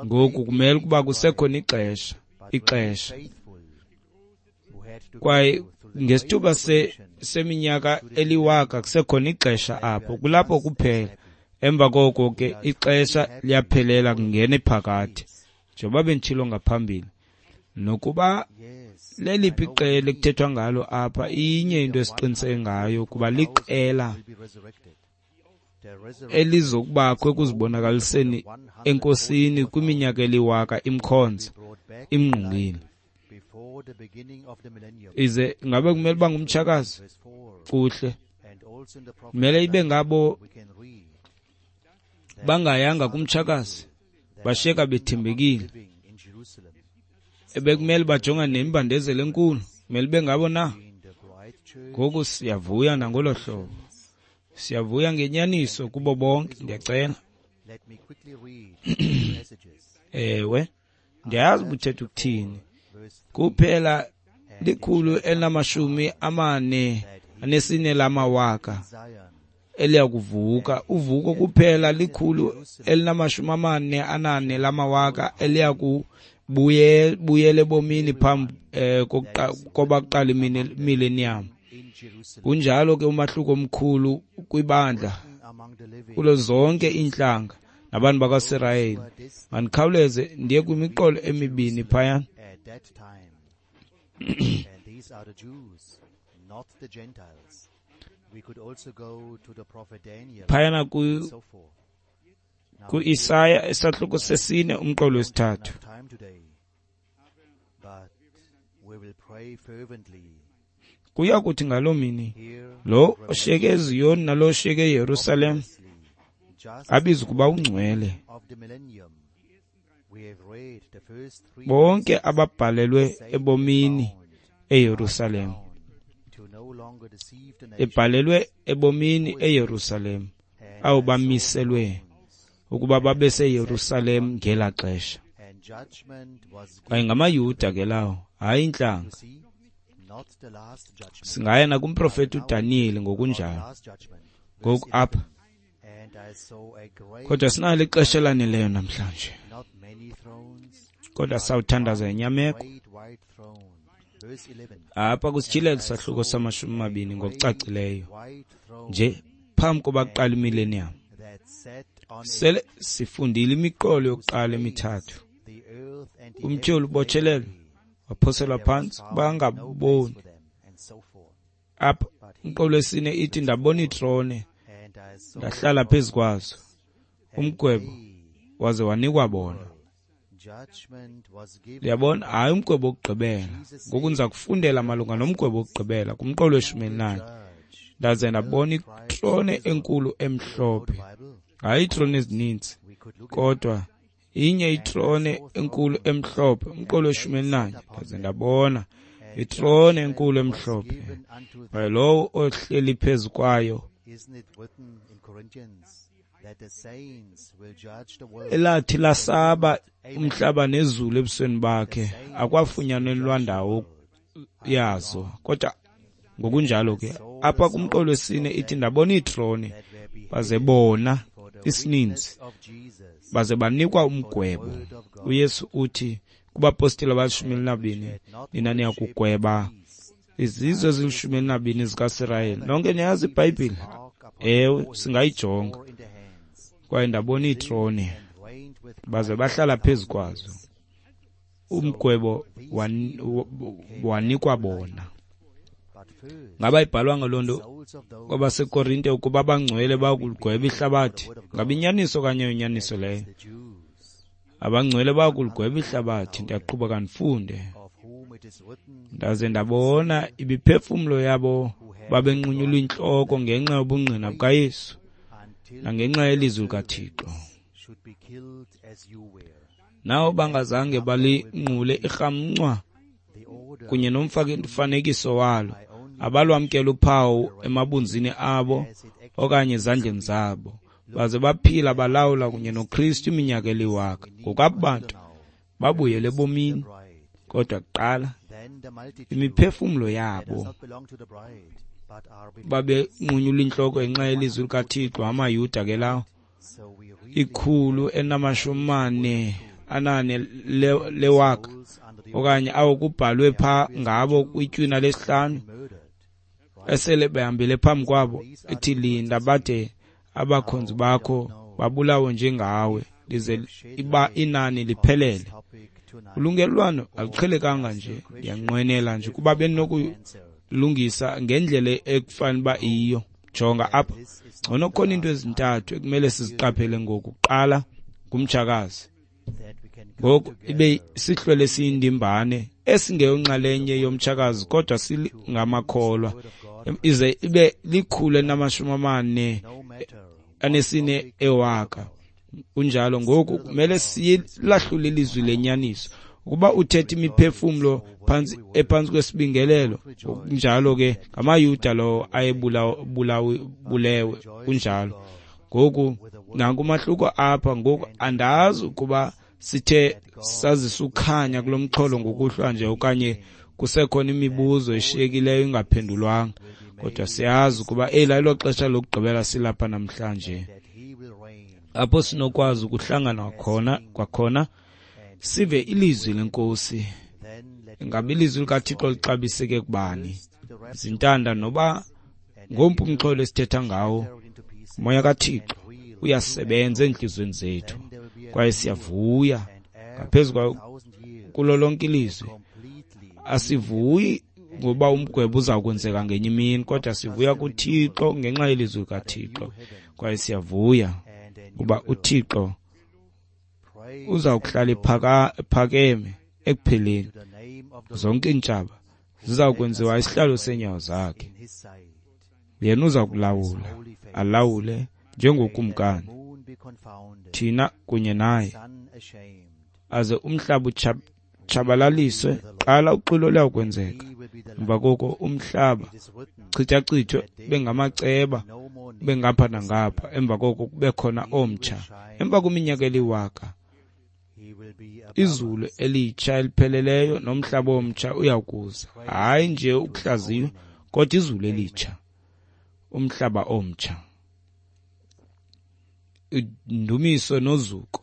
ngoku kumele ukuba kusekhona ixesha. Kwaye ngesithuba seminyaka eliwaka kusekhona ixesha apho, kulapho kuphela. Emva koko ke ixesha liyaphelela, kungena iphakade, njengoba benditshilo ngaphambili. Nokuba leliphi iqela ekuthethwa ngalo apha, inye into esiqiniseke ngayo, kuba liqela elizokubakho ekuzibonakaliseni enkosini kwiminyaka eliwaka imkhonza imngqungile. Ize ngabe kumele uba ngumtshakazi? Kuhle, kumele ibe ngabo bangayanga kumtshakazi, bashiyeka bethembekile. Ebekumele bajongane nembandezelo enkulu, kumele ibe ngabo na? Ngoku siyavuya nangolo hlobo, siyavuya ngenyaniso kubo bonke. Ndiyacela. Ewe, ndiyazi ubuthetha ukuthini. Kuphela 144 lamawaka eliyakuvuka. Uvuko kuphela 144 lamawaka eliyakubuyela ebomini phambi koba kuqala imillennium. Kunjalo ke umahluko omkhulu kwibandla kulo zonke iintlanga nabantu bakwaSirayeli. Mandikhawuleze ndiye kwimiqolo emibini phaya. Phayana ku-Isaya isahluko 4 umqolo 3. Kuya kuthi ngaloo mini, lo oshiyeke eZiyoni nalo oshiyeke eYerusalem Abiza ukuba ungcwele. Bonke ababhalelwe ebomini eYerusalem. Ebhalelwe ebomini eYerusalem, abo bamiselwe ukuba babe seYerusalem ngelaa xesha. Kwaye ngamaYuda ke lawo, hayi intlanga. Singaya nakumprofeti uDaniyeli ngokunjalo. Ngoku apha. Kodwa sinalo ixesha elaneleyo namhlanje. Kodwa sawuthandaza inyameko. Apha kusityhilelo isahluko sama-20 ngokucacileyo nje phambi koba kuqala imillennium. Sele sifundile imiqolo yokuqala emithathu. Umtyholi ubotshelelwe, waphoselwa phantsi, bangaboni. Apha umqolo wesine ithi ndabona iitrone, ndahlala phezu kwazo. Umgwebo waze wanikwa bona. Uyabona, hayi umgwebo wokugqibela. Ngoku ndiza kufundela malunga nomgwebo wokugqibela kumqolo we-14. Ndaze ndabona itrone enkulu emhlophe. Hayi iitrone ezininzi, kodwa inye itrone enkulu emhlophe, umqolo we-14. Ndaze ndabona itrone enkulu emhlophe, kwaye lowo ohleli phezu kwayo elathi lasaba umhlaba nezulu ebusweni bakhe, akwafunyanelwa ndawo yazo. Kodwa ngokunjalo ke apha kumqolo wesine ithi ndabona iitrone, baze bona isininzi, baze banikwa umgwebo. uYesu uthi kubapostile abali-12, nina niyakugweba izizwe ezili-12 zikaSirayeli. Nonke niyazi iBhayibhile? Ewe, singayijonga. Kwaye ndabona iitrone, baze bahlala phezu kwazo. Umgwebo wanikwa bona. Ngaba ibhalwanga loo nto kwabaseKorinte ukuba abangcwele bayakuligweba ihlabathi? Ngaba inyaniso okanye inyaniso leyo? Abangcwele bayakuligweba ihlabathi. Ndiyaqhubeka ndifunde. Ndaze ndabona imiphefumlo yabo babenqunyulwa intloko ngenxa yobungqina bukaYesu nangenxa yelizwi likaThixo. Nawo bangazange balinqule irhamncwa kunye nomfanekiso walo, abalwamkela uphawu emabunzini abo okanye ezandleni zabo, baze baphila balawula kunye noKristu iminyaka eliwaka. Ngokwabo bantu babuyele ebomini, kodwa kuqala imiphefumlo yabo babenqunyulwa intloko ngenxa yelizwi likaThixo. AmaYuda ke lawo, 444 lewaka okanye awo kubhalwe pha ngabo kwitywina lesihlanu, esele behambile phambi kwabo, ethi linda bade abakhonzi bakho babulawe njengawe, lize iba inani liphelele. Ulungelelwano aluqhelekanga nje. Ndiyanqwenela nje kuba benokulungisa ngendlela ekufanele uba iyiyo. Jonga apha, ngcono khona into ezintathu ekumele siziqaphele ngoku. Kuqala ngumtshakazi. Ngoku ibe sihlwele siyindimbane esingeyonxalenye yomtshakazi, kodwa singamakholwa, ize ibe 444 ewaka. Kunjalo. Ngoku kumele silahlule ilizwi lenyaniso. Ukuba uthetha imiphefumlo phantsi ephantsi kwesibingelelo, kunjalo ke ngamaYuda lowo ayebulewe. Kunjalo. Ngoku nanku umahluko apha. Ngoku andazi ukuba sithe sazisa ukhanya kulo mxholo ngokuhlwa nje okanye kusekhona imibuzo eshiyekileyo ingaphendulwanga, kodwa siyazi ukuba eli ayilo xesha lokugqibela silapha namhlanje, apho sinokwazi ukuhlangana khona kwakhona sive ilizwi lenkosi. Ingaba ilizwi likaThixo lixabiseke kubani? Zintanda noba ngompu umxholo esithetha ngawo, umoya kaThixo uyasebenza entliziyweni zethu, kwaye siyavuya ngaphezu kulo lonke ilizwi. Asivuyi ngoba umgwebo uza kwenzeka ngenye imini, kodwa sivuya kuThixo ngenxa yelizwi likaThixo, kwaye siyavuya kuba uThixo uza kuhlala ephakeme ekupheleni. Zonke iintshaba ziza kwenziwa isihlalo seenyawo zakhe. Yena uza kulawula, alawule njengokumkani. Thina kunye naye. Aze umhlaba utshabalaliswe, qala uxwilo luyakwenzeka. Emva koko umhlaba chithachithwe bengamaceba bengapha nangapha, emva koko kube khona omtsha. Emva kweminyaka eliwaka, izulu elitsha elipheleleyo nomhlaba omtsha uyakuza. Hayi nje ukuhlaziywa, kodwa izulu elitsha, umhlaba omtsha. Indumiso nozuko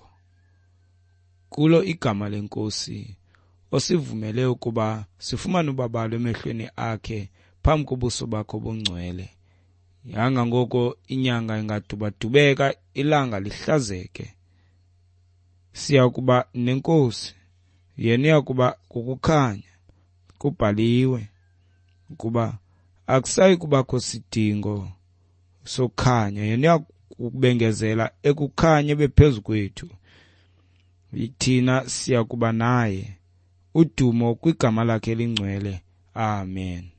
kulo igama leNkosi osivumele ukuba sifumane ubabalo emehlweni akhe phambi kobuso bakho obungcwele. Yanga ngoko inyanga ingadubadubeka, ilanga lihlazeke. Siya kuba neNkosi, yena uya kuba kukukhanya. Kubhaliwe ukuba akusayi kubakho sidingo sokukhanya, yena uya kubengezela ekukhanya bephezu kwethu. Thina siya kuba naye. Udumo kwigama lakhe elingcwele. Amen.